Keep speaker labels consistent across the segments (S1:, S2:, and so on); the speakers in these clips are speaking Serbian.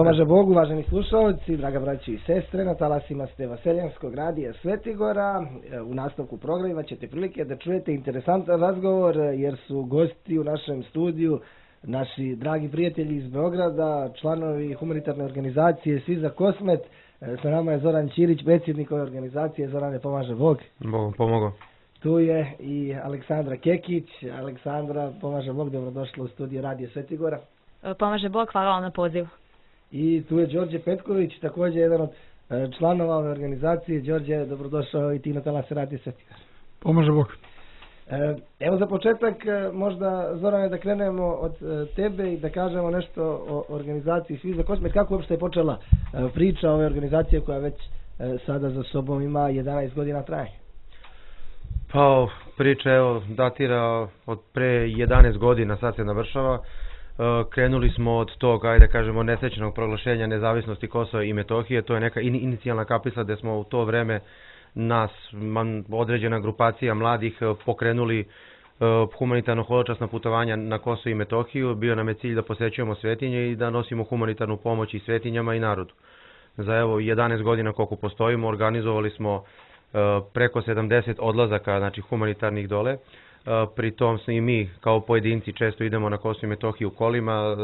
S1: Pomaže Bog, uvaženi slušalci, draga braći i sestre, na talasima ste Vaseljanskog radija Svetigora. U nastavku programa ćete prilike da čujete interesantan razgovor jer su gosti u našem studiju naši dragi prijatelji iz Beograda, članovi humanitarne organizacije Svi za Kosmet. Sa nama je Zoran Ćirić, predsjednik ove organizacije. Zorane, pomaže Bog.
S2: Bogom pomogao.
S1: Tu je i Aleksandra Kekić. Aleksandra, pomaže Bog, dobrodošla u studiju radija Svetigora.
S3: Pomaže Bog, hvala vam na pozivu.
S1: I tu je Đorđe Petković, također jedan od članova ove organizacije. Đorđe, dobrodošao i ti na talase radija Svetigora.
S4: Pomaže Bog.
S1: Evo za početak možda, Zorane, da krenemo od tebe i da kažemo nešto o organizaciji Svi za Kosmet. Kako uopšte je počela priča ove organizacije koja već sada za sobom ima 11 godina trajanja?
S2: Pa priča datira od pre 11 godina, sad se navršava. Krenuli smo od tog, ajde kažemo, nesrećenog proglašenja nezavisnosti Kosova i Metohije. To je neka inicijalna kapisla gde smo u to vreme nas, određena grupacija mladih, pokrenuli humanitarno holočasna putovanja na Kosovo i Metohiju. Bio nam je cilj da posećujemo svetinje i da nosimo humanitarnu pomoć i svetinjama i narodu. Za 11 godina koliko postojimo, organizovali smo preko 70 odlazaka, znači humanitarnih dole. Pri tom i mi kao pojedinci često idemo na Kosovo i Metohiju kolima,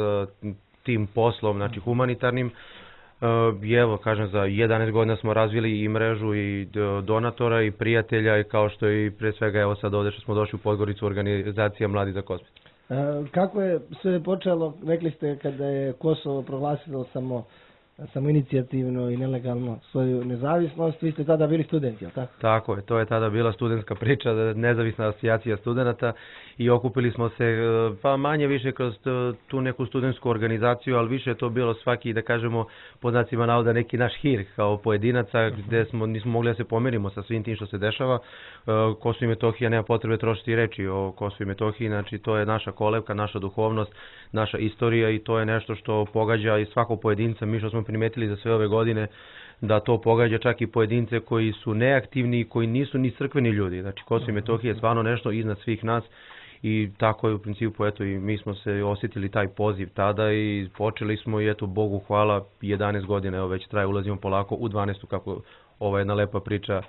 S2: tim poslom, znači humanitarnim. I evo, kažem, za 11 godina smo razvili i mrežu i donatora i prijatelja i kao što i pre svega evo sad ovdje što smo došli u Podgoricu, organizacija Mladi za Kosmet.
S1: Kako je sve počelo, rekli ste, kada je Kosovo proglasilo samo inicijativno i nelegalno svoju nezavisnost, vi ste tada bili studenti, je li tako?
S2: Tako je, to je tada bila studentska priča, nezavisna asocijacija studenta i okupili smo se pa manje više kroz tu neku studentsku organizaciju, ali više je to bilo svaki, da kažemo, pod znacima navoda neki naš hir kao pojedinaca gde nismo mogli da se pomirimo sa svim tim što se dešava. Kosovo i Metohija, nema potrebe trošiti reči o Kosovo i Metohiji, znači to je naša kolevka, naša duhovnost, naša istorija i to je nešto što pogađa i svakog pojedinca. Mi što smo primetili za sve ove godine da to pogađa čak i pojedince koji su neaktivni i koji nisu ni crkveni ljudi. Znači Kosovo i Metohija je stvarno nešto iznad svih nas i tako je u principu, eto, i mi smo se osjetili taj poziv tada i počeli smo i eto, Bogu hvala, 11 godina, evo već traje, ulazimo polako u 12. kako ova jedna lepa priča,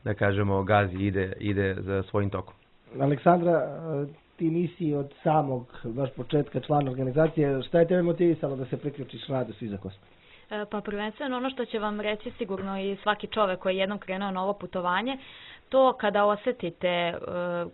S2: da kažemo, gazi, ide za svojim tokom.
S1: Aleksandra, ti nisi od samog baš početka člana organizacije. Šta je tebe motivisalo da se priključiš radu Svi za Kosmet?
S3: Pa prvenstveno ono što će vam reći sigurno i svaki čovek koji je jednom krenuo na ovo putovanje, to kada osjetite,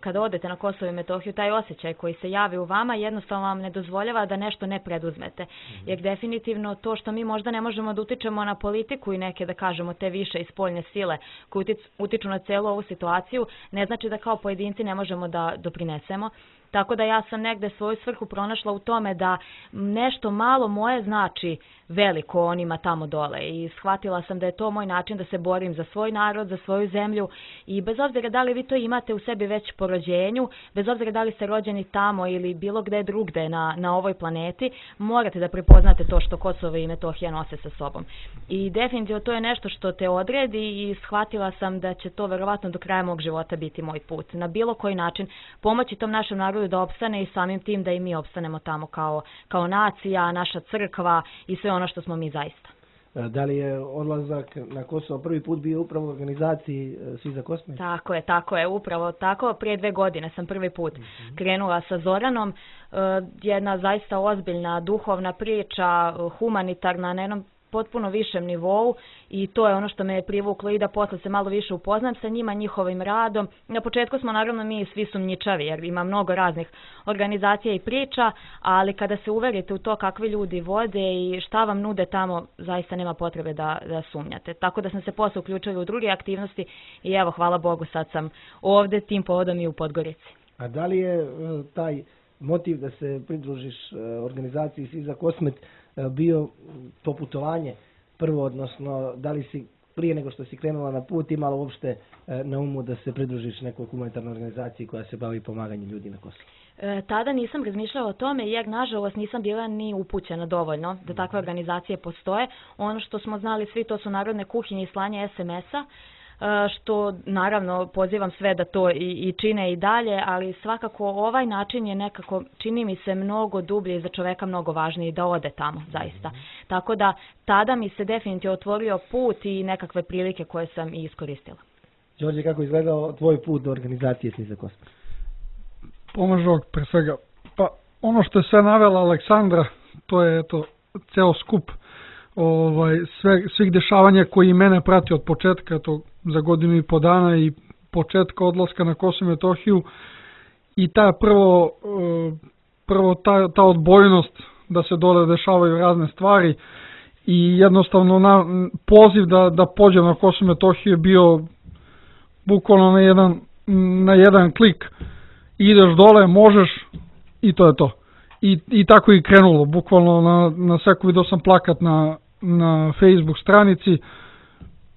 S3: kada odete na Kosovo i Metohiju, taj osjećaj koji se javi u vama jednostavno vam ne dozvoljava da nešto ne preduzmete. Jer definitivno to što mi možda ne možemo da utičemo na politiku i neke, da kažemo, te više i spoljne sile koje utiču na celu ovu situaciju, ne znači da kao pojedinci ne možemo da doprinesemo. Tako da ja sam negde svoju svrhu pronašla u tome da nešto malo moje znači veliko onima tamo dole i shvatila sam da je to moj način da se borim za svoj narod, za svoju zemlju i bez obzira da li vi to imate u sebi već po rođenju, bez obzira da li ste rođeni tamo ili bilo gde drugde na ovoj planeti, morate da prepoznate to što Kosovo i Metohija nose sa sobom. I definitivno to je nešto što te odredi i shvatila sam da će to verovatno do kraja mog života biti moj put. Na bilo koji način pomoći tom našem narodu da opstane i samim tim da i mi opstanemo tamo kao nacija, naša crkva i sve ono što smo mi zaista.
S1: Da li je odlazak na Kosovo prvi put bio upravo u organizaciji Svi za Kosmet?
S3: Tako je, upravo tako. Prije 2 godine sam prvi put krenula sa Zoranom. Jedna zaista ozbiljna duhovna priča, humanitarna, na jednom potpuno višem nivou i to je ono što me je privuklo i da posle se malo više upoznam sa njima, njihovim radom. Na početku smo naravno mi svi sumnjičavi jer ima mnogo raznih organizacija i priča, ali kada se uverite u to kakvi ljudi vode i šta vam nude tamo, zaista nema potrebe da sumnjate. Tako da sam se posle uključila u druge aktivnosti i evo, hvala Bogu, sad sam ovde tim povodom i u Podgorici.
S1: A da li je taj motiv da se pridružiš organizaciji Svi za Kosmet bio to putovanje prvo, odnosno da li si prije nego što si krenula na put imala uopšte na umu da se pridružiš nekoj humanitarnoj organizaciji koja se bavi pomaganjem ljudi na Kosovu?
S3: Tada nisam razmišljala o tome jer nažalost nisam bila ni upućena dovoljno da takve organizacije postoje. Ono što smo znali svi to su narodne kuhinje i slanje SMS-a. što naravno pozivam sve da to i čine i dalje, ali svakako ovaj način je nekako, čini mi se, mnogo dublje i za čoveka mnogo važniji da ode tamo, zaista. Tako da tada mi se definitivno otvorio put i nekakve prilike koje sam i iskoristila.
S1: Đorđe, kako je izgledao tvoj put do organizacije Sniza kosmos?
S4: Pomažog pre svega. Pa ono što je sve navela Aleksandra, to je ceo skup svih dešavanja koji mene prati od početka, za godinu i po dana i početka odlaska na Kosovo i Metohiju, i prvo ta odbojnost da se dole dešavaju razne stvari i jednostavno poziv da pođem na Kosovo i Metohiju je bio bukvalno na jedan klik. Ideš dole, možeš i to je to. I tako i krenulo, bukvalno na seku video sam plakat na Facebook stranici,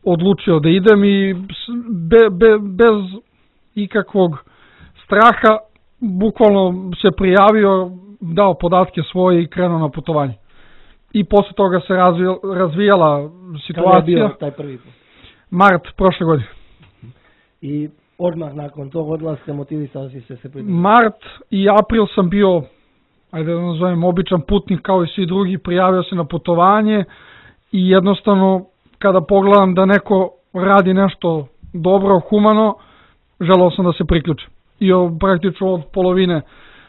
S4: odlučio da idem i bez ikakvog straha bukvalno se prijavio, dao podatke svoje i krenuo na putovanje. I posle toga se razvijala situacija.
S1: Kada je bio taj prvi put?
S4: Mart prošle godine.
S1: I odmah nakon tog odlaska motivisao si se pridružiti?
S4: Mart i april sam bio, ajde da nazovem, običan putnik kao i svi drugi, prijavio se na putovanje i jednostavno kada pogledam da neko radi nešto dobro, humano, želeo sam da se priključim. I praktično od polovine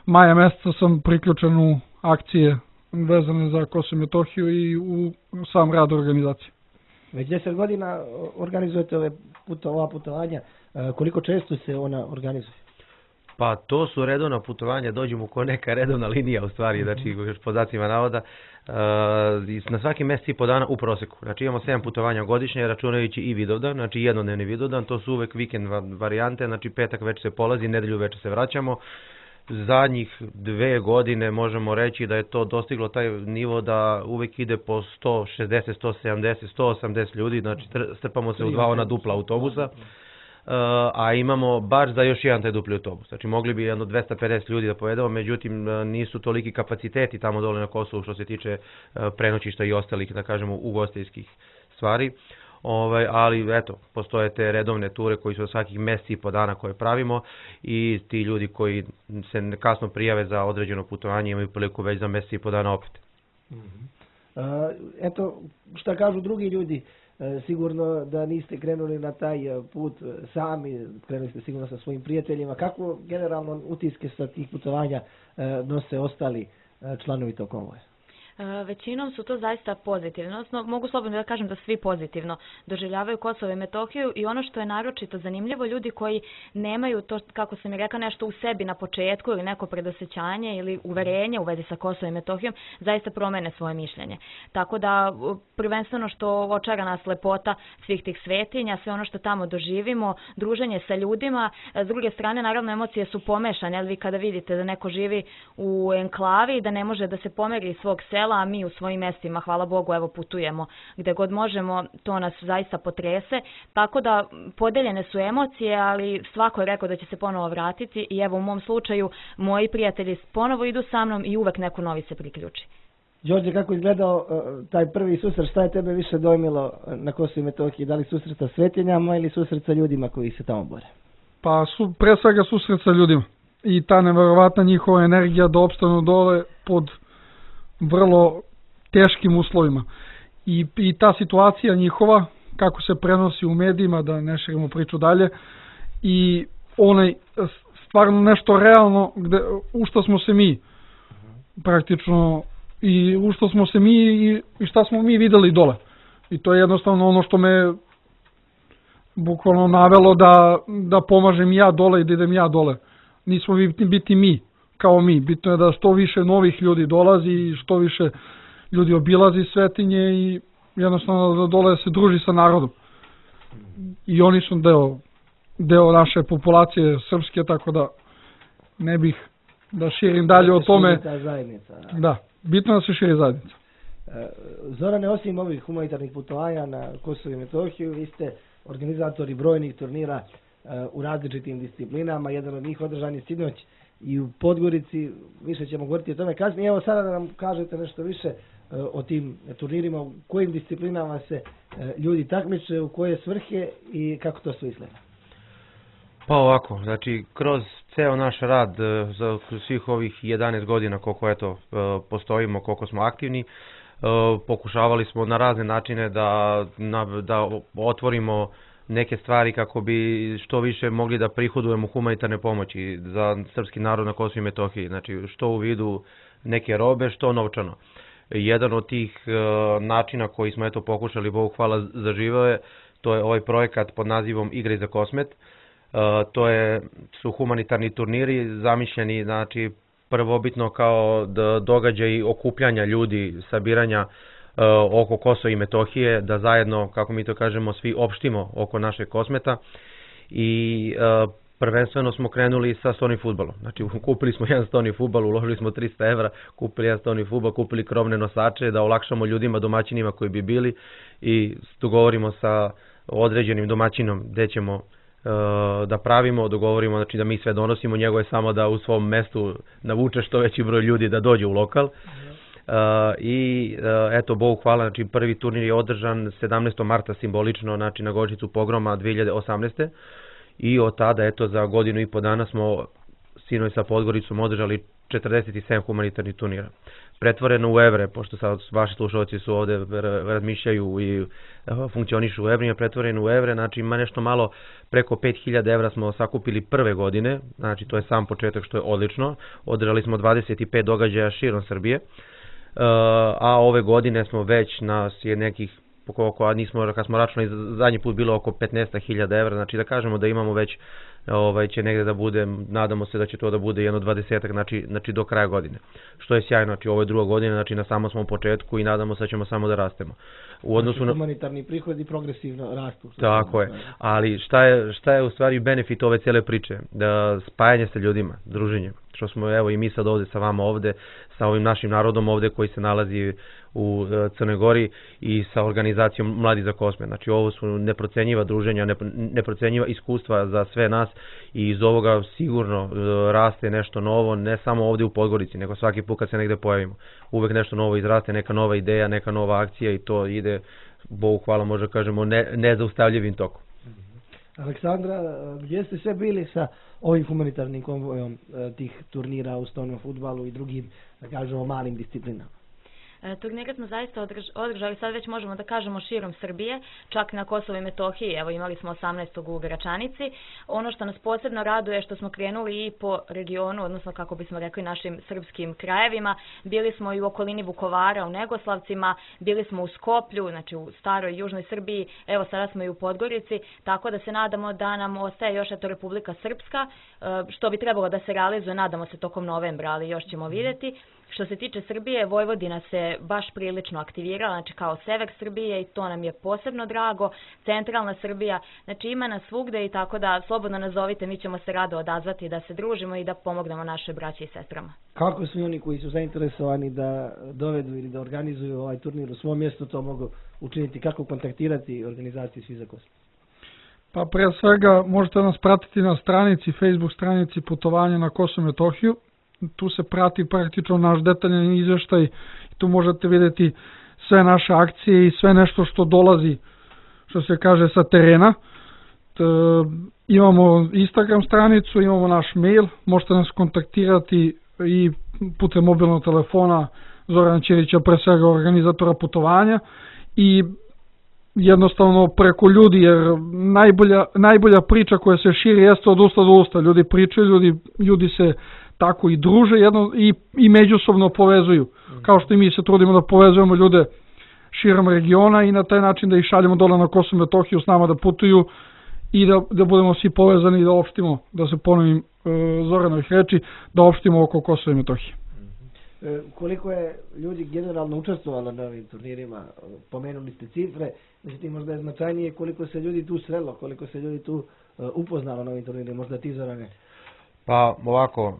S4: maja meseca sam priključen u akcije vezane za Kosovo i Metohiju i u sam rad organizacije.
S1: Već 10 godina organizujete ova putovanja. Koliko često se ona organizuje?
S2: Pa to su redovna putovanja, dođemo ko neka redovna linija u stvari, znači još po znacima navoda, na svaki mjesec i po dana u proseku. Znači imamo 7 putovanja godišnje, računajući i Vidovdan, znači jednodnevni Vidovdan, to su uvek vikend varijante, znači petak već se polazi, nedelju već se vraćamo. Zadnjih 2 godine možemo reći da je to dostiglo taj nivo da uvek ide po 160, 170, 180 ljudi, znači strpamo se u 2 ona dupla autobusa. A imamo baš za još jedan taj dupli autobus. Znači mogli bi jedno 250 ljudi da povedemo, međutim nisu toliki kapaciteti tamo dole na Kosovu što se tiče prenoćišta i ostalih, da kažemo, ugostiteljskih stvari. Ali eto, postoje te redovne ture koji su svakih mjeseci i po dana koje pravimo i ti ljudi koji se kasno prijave za određeno putovanje imaju priliku već za mjeseci i po dana opet.
S1: Eto, šta kažu drugi ljudi? Sigurno da niste krenuli na taj put sami, krenuli ste sigurno sa svojim prijateljima. Kako generalno utiske sa tih putovanja nose ostali članovi tog konvoja?
S3: Većinom su to zaista pozitivno, odnosno mogu slobodno da kažem da svi pozitivno doživljavaju Kosovo i Metohiju i ono što je naročito zanimljivo, ljudi koji nemaju to, kako sam i rekla, nešto u sebi na početku ili neko predosjećanje ili uverenje u vezi sa Kosovom i Metohijom, zaista promene svoje mišljenje. Tako da prvenstveno što očara nas lepota svih tih svetinja, sve ono što tamo doživimo, druženje sa ljudima, s druge strane naravno emocije su pomešane, ali vi kada vidite da neko živi u enklavi, da ne može da se pomeri iz svog sela, a mi u svojim mestima, hvala Bogu, evo putujemo gde god možemo, to nas zaista potrese. Tako da podeljene su emocije, ali svako je rekao da će se ponovo vratiti i evo u mom slučaju moji prijatelji ponovo idu sa mnom i uvek neko novi se priključi.
S1: Đorđe, kako je izgledao taj prvi susret, šta je tebe više dojmilo na Kosovu i Metohiji? Da li susret sa svetinjama ili susret sa ljudima koji se tamo bore?
S4: Pa pre svega susret sa ljudima i ta neverovatna njihova energija da opstanu dole pod vrlo teškim uslovima. I ta situacija njihova, kako se prenosi u medijima, da ne širimo priču dalje, i onaj stvarno nešto realno u što smo se mi praktično i u što smo se mi i šta smo mi videli dole. I to je jednostavno ono što me bukvalno navelo da pomažem ja dole i da idem ja dole. Nismo biti mi kao mi. Bitno je da što više novih ljudi dolazi i što više ljudi obilazi svetinje i jednostavno da dole se druži sa narodom. I oni su deo naše populacije srpske, tako da ne bih da širim dalje o tome. Da, bitno da se širi zajednica.
S1: Zorane, osim ovih humanitarnih putovanja na Kosovo i Metohiju, vi ste organizatori brojnih turnira u različitim disciplinama. Jedan od njih održan je sinoć i u Podgorici, više ćemo govoriti o tome kasnije. Evo sada da nam kažete nešto više o tim turnirima, u kojim disciplinama se ljudi takmiče, u koje svrhe i kako to sve izgleda?
S2: Pa ovako, znači kroz ceo naš rad za svih ovih 11 godina koliko postojimo, koliko smo aktivni, pokušavali smo na razne načine da otvorimo neke stvari kako bi što više mogli da prihodujemo humanitarne pomoći za srpski narod na Kosovu i Metohiji, znači što u vidu neke robe, što novčano. Jedan od tih načina koji smo pokušali, Bogu hvala, zaživao je, to je ovaj projekat pod nazivom Igre za Kosmet. To su humanitarni turniri zamišljeni, znači prvobitno kao događaj okupljanja ljudi, sabiranja oko Kosova i Metohije, da zajedno, kako mi to kažemo, svi opštimo oko našeg Kosmeta i prvenstveno smo krenuli sa stolnim fudbalom. Znači kupili smo jedan stolni fudbal, uložili smo 300 evra, kupili jedan stolni fudbal, kupili krovne nosače da olakšamo ljudima, domaćinima koji bi bili i dogovorimo sa određenim domaćinom gde ćemo da pravimo, dogovorimo, znači da mi sve donosimo, njego je samo da u svom mestu navuče što veći broj ljudi da dođe u lokal. I eto, Bogu hvala, znači prvi turnir je održan 17. marta simbolično, znači na godišnjicu pogroma 2018. I od tada, eto, za godinu i po dana smo sinoć sa Podgoricom održali 47 humanitarnih turnira. Pretvoreno u evre, pošto sad vaši slušalci su ovde, razmišljaju i funkcionišu u evrima, pretvoreno u evre, znači ima nešto malo preko 5000 evra smo sakupili prve godine, znači to je sam početak što je odlično. Održali smo 25 događaja širom Srbije, a ove godine smo već na nekih, kad smo računali zadnji put bilo oko 15.000 evra, znači da kažemo da imamo već će negde da bude, nadamo se da će to da bude jedno 20-ak, znači do kraja godine. Što je sjajno, znači ovo je druga godina, znači na samo smo u početku i nadamo se da ćemo samo da rastemo. U odnosu na
S1: humanitarni prihodi progresivno rastu.
S2: Tako je, ali šta je u stvari benefit ove cele priče? Da spajanje sa ljudima, druženje. Što smo evo i mi sad ovde sa vama ovde, sa ovim našim narodom ovde koji se nalazi u Crnoj Gori i sa organizacijom Mladi za Kosmet. Znači ovo su neprocenjiva druženja, neprocenjiva iskustva za sve nas i iz ovoga sigurno raste nešto novo, ne samo ovde u Podgorici, nego svaki put kad se negde pojavimo. Uvek nešto novo izraste, neka nova ideja, neka nova akcija i to ide, Bogu hvala, možda kažemo, nezaustavljivim tokom.
S1: Aleksandra, gdje ste sve bili sa ovim humanitarnim konvojom tih turnira u stolnom fudbalu i drugim, da kažemo, malim disciplinama?
S3: Turnire smo zaista održali, sad već možemo da kažemo širom Srbije, čak na Kosovo i Metohiji, evo imali smo 18. u Gračanici. Ono što nas posebno raduje je što smo krenuli i po regionu, odnosno kako bismo rekli našim srpskim krajevima. Bili smo i u okolini Vukovara, u Negoslavcima, bili smo u Skoplju, znači u staroj južnoj Srbiji, evo sada smo i u Podgorici, tako da se nadamo da nam ostaje još Republika Srpska, što bi trebalo da se realizuje, nadamo se tokom novembra, ali još ćemo vidjeti. Što se tiče Srbije, Vojvodina se baš prilično aktivirala, znači kao sever Srbije i to nam je posebno drago, centralna Srbija, znači ima nas svugde i tako da slobodno nazovite, mi ćemo se rado odazvati da se družimo i da pomognemo naše braći i sestrama.
S1: Kako svi oni koji su zainteresovani da dovedu ili da organizuju ovaj turnir u svom mjestu to mogu učiniti, kako kontaktirati organizaciju Svi za Kosovo?
S4: Pa pre svega možete nas pratiti na stranici, Facebook stranici Putovanja na Kosovo i Metohiju. Tu se prati praktično naš detaljan izveštaj i tu možete vidjeti sve naše akcije i sve nešto što dolazi, što se kaže, sa terena. Imamo Instagram stranicu, imamo naš mail, možete nas kontaktirati i putem mobilnog telefona Zorana Ćirića, pre svega organizatora putovanja, i jednostavno preko ljudi, jer najbolja priča koja se širi jeste od usta do usta. Ljudi pričaju, ljudi se tako i druže i međusobno povezuju, kao što i mi se trudimo da povezujemo ljude širom regiona i na taj način da ih šaljemo dole na Kosovo i Metohiju s nama da putuju i da budemo svi povezani i da opštimo, da se ponovim Zoranovih reči, da opštimo oko Kosova i Metohije.
S1: Koliko je ljudi generalno učestvovalo na ovim turnirima? Pomenuli ste cifre, međutim možda je značajnije koliko se ljudi tu srelo, koliko se ljudi tu upoznalo na ovim turnirima, možda ti, Zorane?
S2: Pa ovako,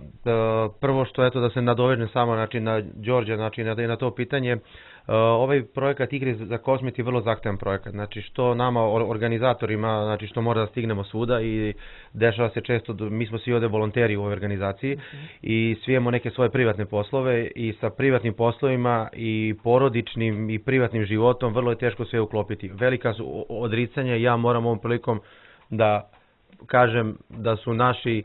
S2: prvo što da se nadovežem samo, znači na Đorđe, znači na to pitanje, Ovaj projekat Igre za Kosmet je vrlo zahtevan projekat, znači što nama organizatorima, znači što mora da stignemo svuda i dešava se često, mi smo svi ovde volonteri u ovoj organizaciji i svi imamo neke svoje privatne poslove i sa privatnim poslovima i porodičnim i privatnim životom vrlo je teško sve uklopiti. Velika su odricanja, ja moram ovom prilikom da kažem da su naši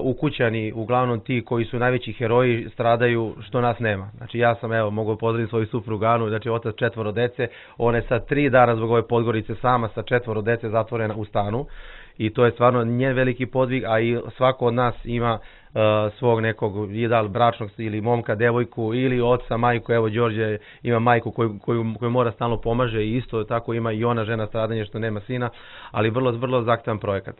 S2: ukućani uglavnom ti koji su najveći heroji stradaju što nas nema. Znači ja sam, evo, mogu pozdraviti svoju suprugu Anu, znači otac 4 dece, ona je sad 3 dana zbog ove Podgorice sama sa 4 dece zatvorena u stanu i to je stvarno njen veliki podvig, a i svako od nas ima svog nekog bračnog ili momka, devojku ili oca, majku. Evo Đorđe ima majku koju mora stalno pomaže i isto tako ima i ona žena stradanje što nema sina, ali vrlo zahtevan projekat.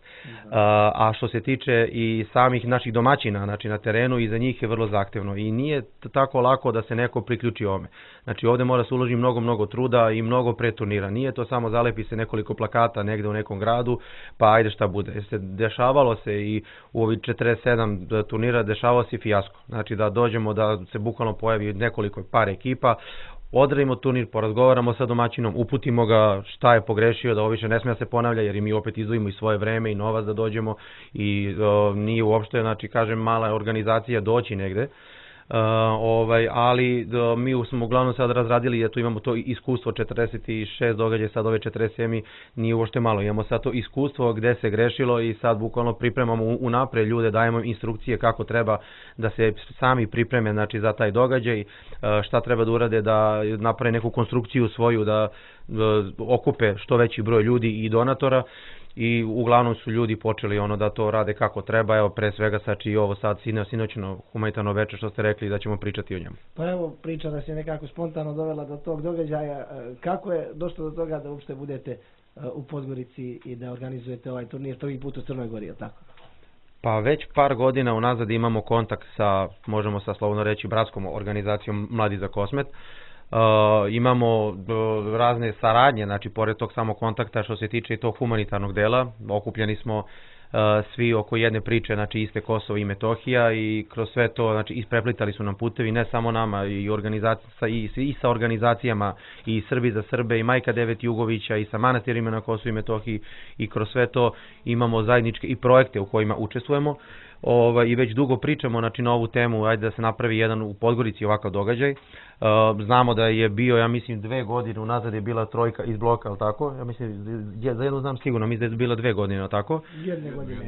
S2: A što se tiče i samih naših domaćina, znači na terenu, i za njih je vrlo zahtevno i nije tako lako da se neko priključi ovome. Znači ovde mora se uložiti mnogo truda i mnogo pre turnira. Nije to samo zalepi se nekoliko plakata negde u nekom gradu, pa ajde šta bude. Dešavalo se i u ovih 47 turnira dešavao se fijasko. Znači da dođemo da se bukvalno pojavi nekoliko par ekipa, odradimo turnir, porazgovaramo sa domaćinom, uputimo ga šta je pogrešio, da ovo više ne smije da se ponavlja, jer i mi opet izdvojimo i svoje vreme i novac da dođemo i nije uopšte, znači kažem, mala organizacija doći negde. Ali mi smo uglavnom sad razradili, jer tu imamo to iskustvo 46 događaja, sad ove 47 nije uopšte malo, imamo sad to iskustvo gde se grešilo i sad bukvalno pripremamo unapred ljude, dajemo instrukcije kako treba da se sami pripreme, znači za taj događaj, šta treba da urade, da naprave neku konstrukciju svoju, da okupe što veći broj ljudi i donatora. I uglavnom su ljudi počeli da to rade kako treba, evo pre svega znači i ovo sad sinoćno humanitarno veče što ste rekli da ćemo pričati o njemu.
S1: Pa evo, priča nas je nekako spontano dovela do tog događaja. Kako je došlo do toga da uopšte budete u Podgorici i da organizujete ovaj turnir prvi put u Crnoj Gori, je tako?
S2: Pa već par godina unazad imamo kontakt sa, možemo sa slobodno reći, bratskom organizacijom Mladi za Kosmet. Imamo razne saradnje, znači pored tog samog kontakta što se tiče i tog humanitarnog dela, okupljeni smo svi oko jedne priče, znači iste Kosovo i Metohija, i kroz sve to, znači ispreplitali su nam putevi, ne samo nama, i sa organizacijama i Srbi za Srbe i Majka Devet Jugovića i sa manastirima na Kosovu i Metohiji, i kroz sve to imamo zajedničke i projekte u kojima učestvujemo. I već dugo pričamo, znači, na ovu temu, ajde da se napravi jedan u Podgorici ovakav događaj. Znamo da je bio, ja mislim, 2 godine unazad je bila trojka iz bloka, ali tako? Ja mislim, za jednu znam sigurno, mislim da je bila 2 godine, ali tako?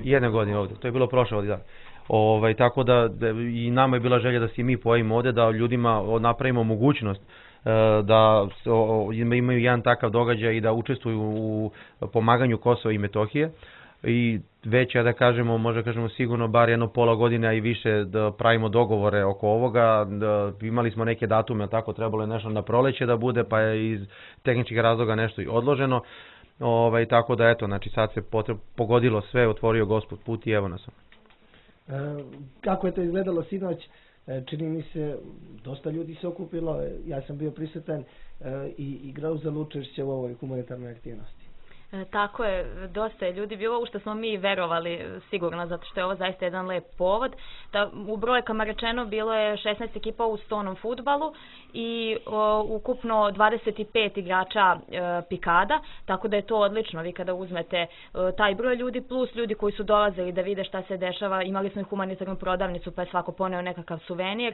S2: Jedne godine ovde, to je bilo prošle ovdje, da. Tako da i nama je bila želja da se mi pojavimo ovde, da ljudima napravimo mogućnost da imaju jedan takav događaj i da učestvuju u pomaganju Kosova i Metohije. I već, da kažemo, možda kažemo sigurno bar jedno pola godine, a i više, da pravimo dogovore oko ovoga. Imali smo neke datume, tako trebalo je nešto na proleće da bude, pa je iz tehničkih razloga nešto i odloženo. Tako da eto, znači sad se pogodilo sve, otvorio Gospod put i evo nas.
S1: Kako je to izgledalo sinoć? Čini mi se, dosta ljudi se okupilo, ja sam bio prisutan i igrao za učešće u ovoj humanitarnoj aktivnosti.
S3: Tako je, dosta je ljudi bilo, u što smo mi verovali sigurno, zato što je ovo zaista jedan lep povod. U brojkama rečeno bilo je 16 ekipa u stonom fudbalu i ukupno 25 igrača pikada, tako da je to odlično. Vi kada uzmete taj broj ljudi plus ljudi koji su dolazili da vide šta se dešava, imali smo i humanitarnu prodavnicu pa je svako poneo nekakav suvenir,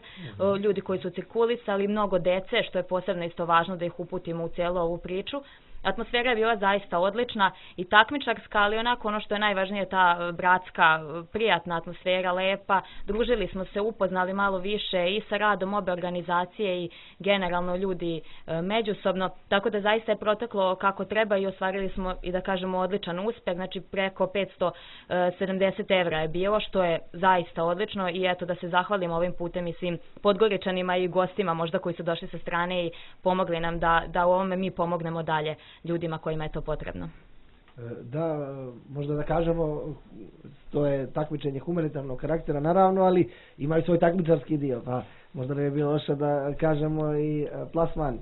S3: ljudi koji su cirkulisali, mnogo dece, što je posebno isto važno da ih uputimo u cijelu ovu priču. Atmosfera je bila zaista odlična i takmičarska, ali onako ono što je najvažnije, ta bratska, prijatna atmosfera, lepa. Družili smo se, upoznali malo više i sa radom obe organizacije i generalno ljudi međusobno, tako da zaista je proteklo kako treba i ostvarili smo, i da kažemo, odličan uspeh, znači preko 570 evra je bilo, što je zaista odlično, i eto da se zahvalim ovim putem i svim Podgoričanima i gostima možda koji su došli sa strane i pomogli nam da u ovome mi pomognemo dalje ljudima kojima je to potrebno.
S1: Da, možda da kažemo, to je takmičenje humanitarnog karaktera naravno, ali ima i svoj takmičarski dio, pa možda ne bi bilo loše da kažemo i plasman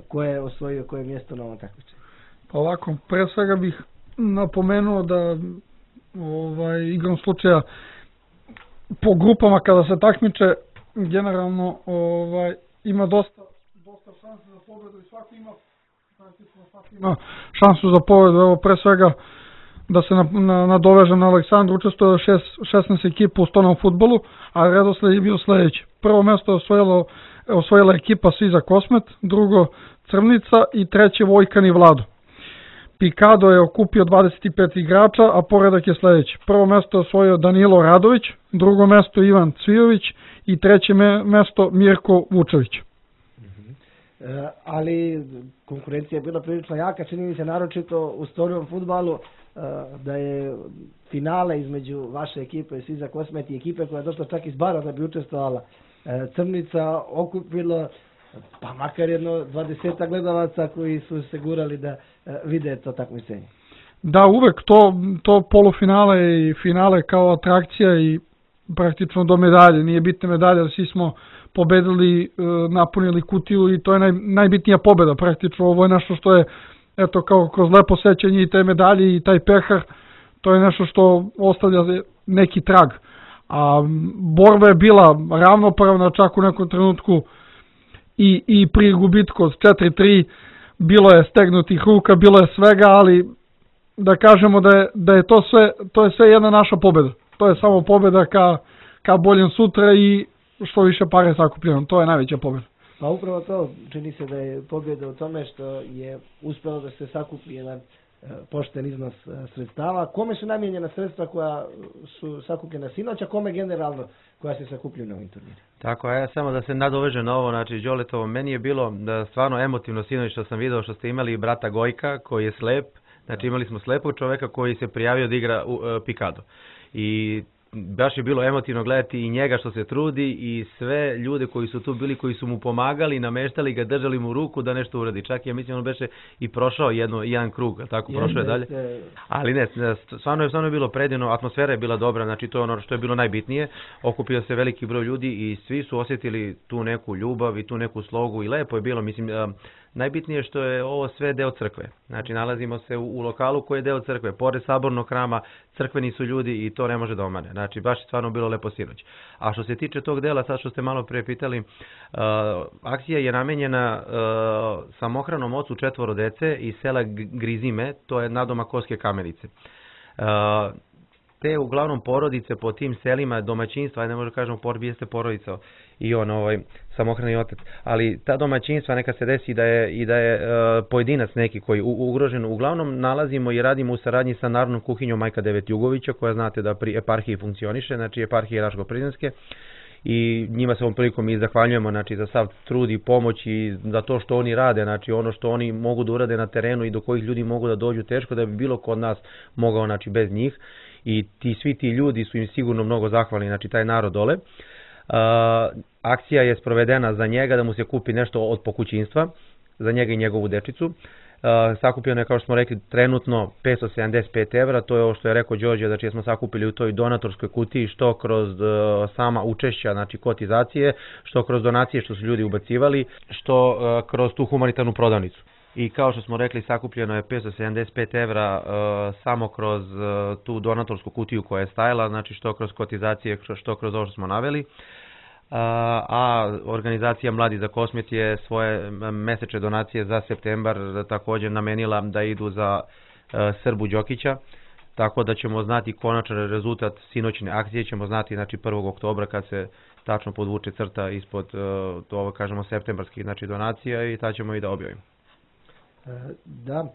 S1: ko je osvojio koje mjesto na ovom takmičenju.
S4: Pa ovako, pre svega bih napomenuo da igrom slučaja po grupama kada se takmiče generalno ima dosta nekakav šansu za pobedu i svako ima šansu za pobedu. Evo pre svega da se nadovežem na Aleksandru, učestvuje 16 ekipa u stolnom fudbalu, a redosled je bio sledeći. Prvo mesto je osvojila ekipa Sviza Kosmet, drugo Crvnica i treće Vojkan i Vlado. Pikado je okupio 25 igrača, a poredak je sledeći. Prvo mesto je osvojio Danilo Radović, drugo mesto Ivan Cvijović i treće mesto Mirko Vučević.
S1: Ali konkurencija je bila prilično jaka, čini mi se naročito u stolnom fudbalu, da je finale između vaše ekipe i Sviza Kosmet i ekipe koja je došla čak iz Bara da bi učestvovala Crvnica okupilo pa makar jedno 20 gledalaca koji su se gurali da vide to takmičenje.
S4: Da, uvek to polufinale i finale kao atrakcija i praktično do medalje, nije bitne medalje, ali svi smo pobedili, napunili kutiju i to je najbitnija pobeda praktično. Ovo je nešto što je, eto, kao kroz lepo sećanje i te medalje i taj pehar, to je nešto što ostavlja neki trag. A borba je bila ravnopravna, čak u nekom trenutku i pri gubitku od 4-3 bilo je stegnutih ruka, bilo je svega, ali da kažemo da je to je sve jedna naša pobeda. To je samo pobeda ka boljem sutra i što više pare sakupljeno. To je najveća pobeda.
S1: Pa upravo to, čini se da je pobjeda u tome što je uspelo da se sakupi jedan pošten iznos sredstava. Kome su namijenjena sredstva koja su sakupljena sinoć, a kome generalno koja se sakupljuju na ovim turnirima?
S2: Tako je, samo da se nadoveže na ovo, znači Đoletovo, meni je bilo stvarno emotivno sinoć što sam video što ste imali brata Gojka koji je slep, znači imali smo slepog čoveka koji se prijavio da igra u Pikado. I baš je bilo emotivno gledati i njega što se trudi i sve ljude koji su tu bili, koji su mu pomagali, nameštali ga, držali mu ruku da nešto uradi. Čak ja mislim on beše i prošao jedan krug, tako prošao je dalje. Ali ne, stvarno je bilo predivno, atmosfera je bila dobra, znači to je ono što je bilo najbitnije. Okupio se veliki broj ljudi i svi su osjetili tu neku ljubav i tu neku slogu i lepo je bilo, mislim, najbitnije je što je ovo sve deo crkve. Znači nalazimo se u lokalu koji je deo crkve, pored sabornog hrama, crkveni su ljudi i to ne može da omane. Znači baš je stvarno bilo lepo sinoć. A što se tiče tog dela, sad što ste malo pre pitali, akcija je namenjena samohranom ocu 4 dece iz sela Grizime, to je nadomak Koske Kamenice. Te uglavnom porodice po tim selima, domaćinstva, ne možemo kažemo jeste porodica i on samohrani otac, ali ta domaćinstva neka se desi da je pojedinac neki koji ugrožen. Uglavnom nalazimo i radimo u saradnji sa Narodnom kuhinjom Majka Devet Jugovića, koja znate da pri eparhiji funkcioniše, znači eparhije Raško-Prizrenske, i njima se ovom prilikom i zahvaljujemo, znači, za sav trud i pomoć i za to što oni rade, znači ono što oni mogu da urade na terenu i do kojih ljudi mogu da dođu, teško da bi bilo kod nas mogao, znači, bez njih. I svi ti ljudi su im sigurno mnogo zahvalni, znači taj narod dole. Akcija je sprovedena za njega da mu se kupi nešto od pokućinstva, za njega i njegovu dečicu. Sakupljeno je, kao što smo rekli, trenutno 575 evra, to je ovo što je rekao Đorđe, znači smo sakupili u toj donatorskoj kutiji, što kroz sama učešća, znači kotizacije, što kroz donacije što su ljudi ubacivali, što kroz tu humanitarnu prodavnicu. I kao što smo rekli, sakupljeno je 575 evra samo kroz tu donatorsku kutiju koja je stajala, znači što kroz kotizacije, što kroz ovo što smo naveli. A organizacija Mladi za Kosmet je svoje mesečne donacije za septembar također namenila da idu za Srbu Đokića, tako da ćemo znati konačan rezultat sinoćne akcije, ćemo znati, znači, 1. oktobra kad se tačno podvuče crta ispod ovo, kažemo, septembarskih, znači, donacija, i tad ćemo i da objavimo.
S1: Da,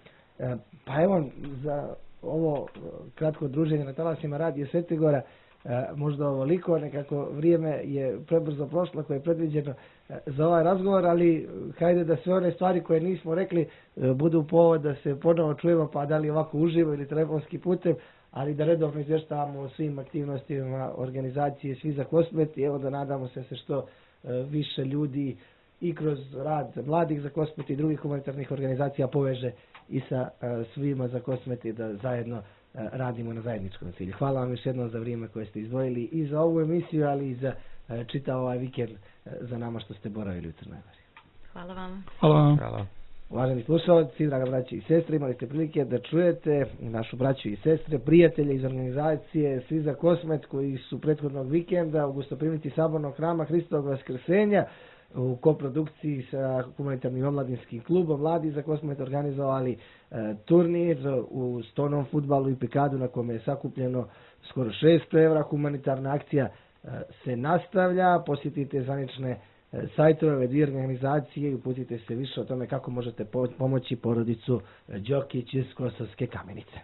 S1: pa evo, za ovo kratko druženje na talasima Radio Svetigora, možda ovoliko, nekako vrijeme je prebrzo prošlo koje je predviđeno za ovaj razgovor, ali hajde da sve one stvari koje nismo rekli budu povod da se ponovo čujemo, pa da li ovako uživo ili telefonski putem, ali da redovno izvještavamo o svim aktivnostima organizacije Sviza Kosmet i evo da nadamo se što više ljudi i kroz rad Mladih za Kosmet i drugih humanitarnih organizacija poveže i sa svima za Kosmet i da zajedno radimo na zajedničkom cilju. Hvala vam još jednom za vrijeme koje ste izdvojili i za ovu emisiju, ali i za čitav ovaj vikend za nama što ste boravili u Crnoj Gori.
S3: Hvala vam.
S2: Hvala.
S1: Uvaženi slušalci, draga braći i sestre, imali ste prilike da čujete našu braću i sestre, prijatelje iz organizacije Sviza Kosmet koji su prethodnog vikenda u gostoprimnici sabornog hrama Hristovog Vaskrsenja u koprodukciji sa humanitarnim omladinskim klubom Mladi, za koje smo organizovali turnir u stonom fudbalu i pikadu na kome je sakupljeno skoro 600 evra. Humanitarna akcija se nastavlja, posjetite zvanične sajtove ove dvije organizacije i uputite se više o tome kako možete pomoći porodicu Đokić iz Kosovske Kamenice.